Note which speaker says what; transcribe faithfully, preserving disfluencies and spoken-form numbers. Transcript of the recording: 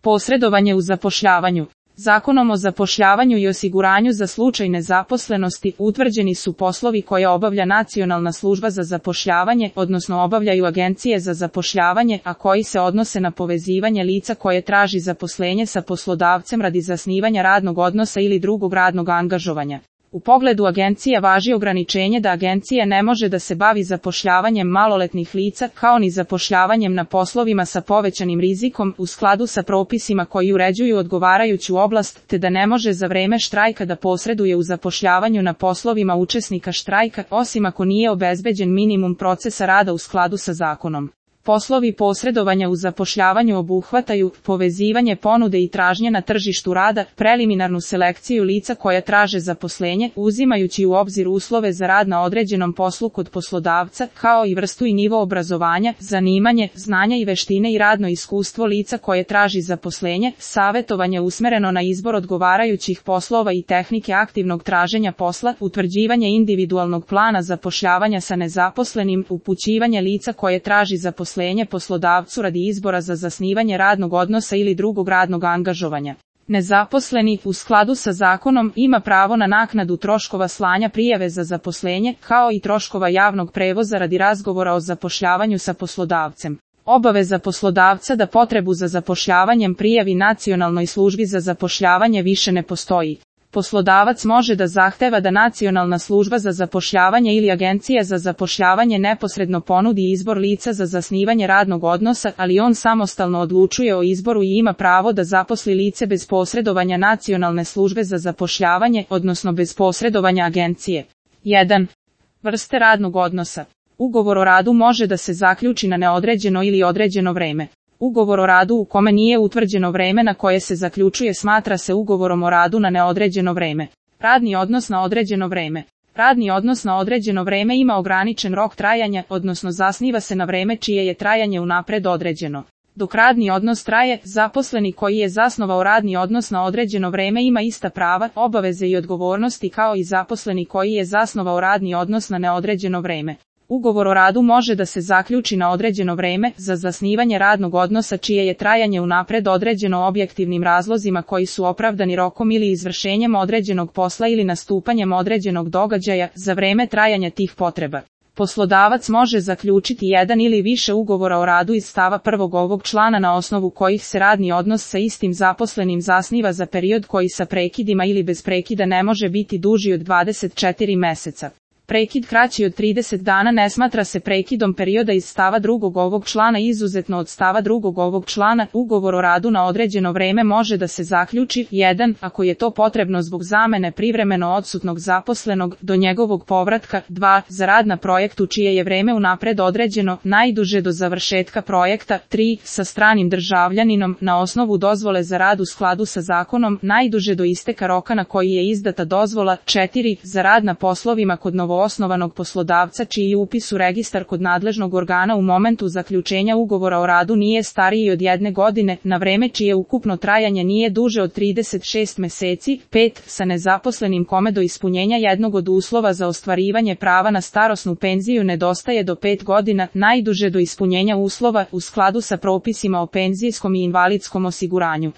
Speaker 1: Posredovanje u zapošljavanju. Zakonom o zapošljavanju i osiguranju za slučaj nezaposlenosti utvrđeni su poslovi koje obavlja Nacionalna služba za zapošljavanje, odnosno obavljaju agencije za zapošljavanje, a koji se odnose na povezivanje lica koje traži zaposlenje sa poslodavcem radi zasnivanja radnog odnosa ili drugog radnog angažovanja. U pogledu agencija važi ograničenje da agencija ne može da se bavi zapošljavanjem maloletnih lica, kao ni zapošljavanjem na poslovima sa povećanim rizikom u skladu sa propisima koji uređuju odgovarajuću oblast, te da ne može za vreme štrajka da posreduje u zapošljavanju na poslovima učesnika štrajka, osim ako nije obezbeđen minimum procesa rada u skladu sa zakonom. Poslovi posredovanja u zapošljavanju obuhvataju povezivanje ponude i tražnje na tržištu rada, preliminarnu selekciju lica koja traže zaposlenje, uzimajući u obzir uslove za rad na određenom poslu kod poslodavca, kao i vrstu i nivo obrazovanja, zanimanje, znanja i veštine i radno iskustvo lica koje traži zaposlenje, savjetovanje usmereno na izbor odgovarajućih poslova i tehnike aktivnog traženja posla, utvrđivanje individualnog plana zapošljavanja sa nezaposlenim, upućivanje lica koje traži zaposlenje poslodavcu radi izbora za zasnivanje radnog odnosa ili drugog radnog angažovanja. Nezaposleni, u skladu sa zakonom, ima pravo na naknadu troškova slanja prijave za zaposlenje, kao i troškova javnog prevoza radi razgovora o zapošljavanju sa poslodavcem. Obaveza poslodavca da potrebu za zapošljavanjem prijavi Nacionalnoj službi za zapošljavanje više ne postoji. Poslodavac može da zahteva da Nacionalna služba za zapošljavanje ili Agencija za zapošljavanje neposredno ponudi izbor lica za zasnivanje radnog odnosa, ali on samostalno odlučuje o izboru i ima pravo da zaposli lice bez posredovanja Nacionalne službe za zapošljavanje, odnosno bez posredovanja agencije. jedan. Vrste radnog odnosa. Ugovor o radu može da se zaključi na neodređeno ili određeno vreme. Ugovor o radu u kome nije utvrđeno vreme na koje se zaključuje smatra se ugovorom o radu na neodređeno vreme. Radni odnos na određeno vreme. Radni odnos na određeno vreme ima ograničen rok trajanja, odnosno zasniva se na vreme čije je trajanje unapred određeno. Dok radni odnos traje, zaposleni koji je zasnovao radni odnos na određeno vreme ima ista prava, obaveze i odgovornosti kao i zaposleni koji je zasnovao radni odnos na neodređeno vreme. Ugovor o radu može da se zaključi na određeno vreme za zasnivanje radnog odnosa čije je trajanje unapred određeno objektivnim razlozima koji su opravdani rokom ili izvršenjem određenog posla ili nastupanjem određenog događaja za vreme trajanja tih potreba. Poslodavac može zaključiti jedan ili više ugovora o radu iz stava prvog ovog člana na osnovu kojih se radni odnos sa istim zaposlenim zasniva za period koji sa prekidima ili bez prekida ne može biti duži od dvadeset četiri meseca. Prekid kraći od trideset dana ne smatra se prekidom perioda iz stava drugog ovog člana izuzetno od stava drugog ovog člana. Ugovor o radu na određeno vreme može da se zaključi jedan. Ako je to potrebno zbog zamene privremeno odsutnog zaposlenog do njegovog povratka, dva. Za rad na projektu čije je vreme unapred određeno, najduže do završetka projekta, tri. Sa stranim državljaninom na osnovu dozvole za rad u skladu sa zakonom, najduže do isteka roka na koji je izdata dozvola, četiri. Za rad na poslovima kod novo osnovanog poslodavca čiji upis u registar kod nadležnog organa u momentu zaključenja ugovora o radu nije stariji od jedne godine, na vreme čije ukupno trajanje nije duže od trideset šest meseci, pet. Sa nezaposlenim kome do ispunjenja jednog od uslova za ostvarivanje prava na starosnu penziju nedostaje do pet godina, najduže do ispunjenja uslova u skladu sa propisima o penzijskom i invalidskom osiguranju.